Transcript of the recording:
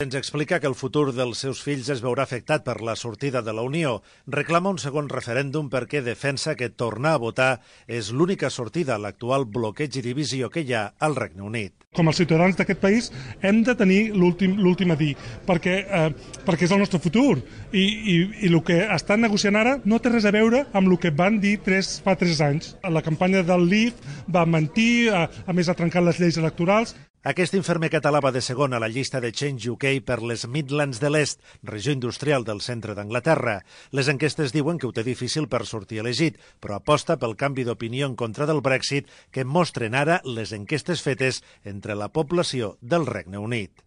Ens explica que el futur dels seus fills es veurà afectat per la sortida de la Unió. Reclama un segon referèndum perquè defensa que tornar a votar és l'única sortida a l'actual bloqueig i divisió que hi ha al Regne Unit. Com a ciutadans d'aquest país hem de tenir l'últim a dir, perquè és el nostre futur. I el que estan negociant ara no té res a veure amb el que van dir fa 3 anys. La campanya del Leave va mentir, a més ha trencat les lleis electorals. Aquest infermer català va de segon a la llista de Change UK per les Midlands de l'Est, regió industrial del centre d'Anglaterra. Les enquestes diuen que ho té difícil per sortir elegit, però aposta pel canvi d'opinió en contra del Brexit que mostren ara les enquestes fetes entre la població del Regne Unit.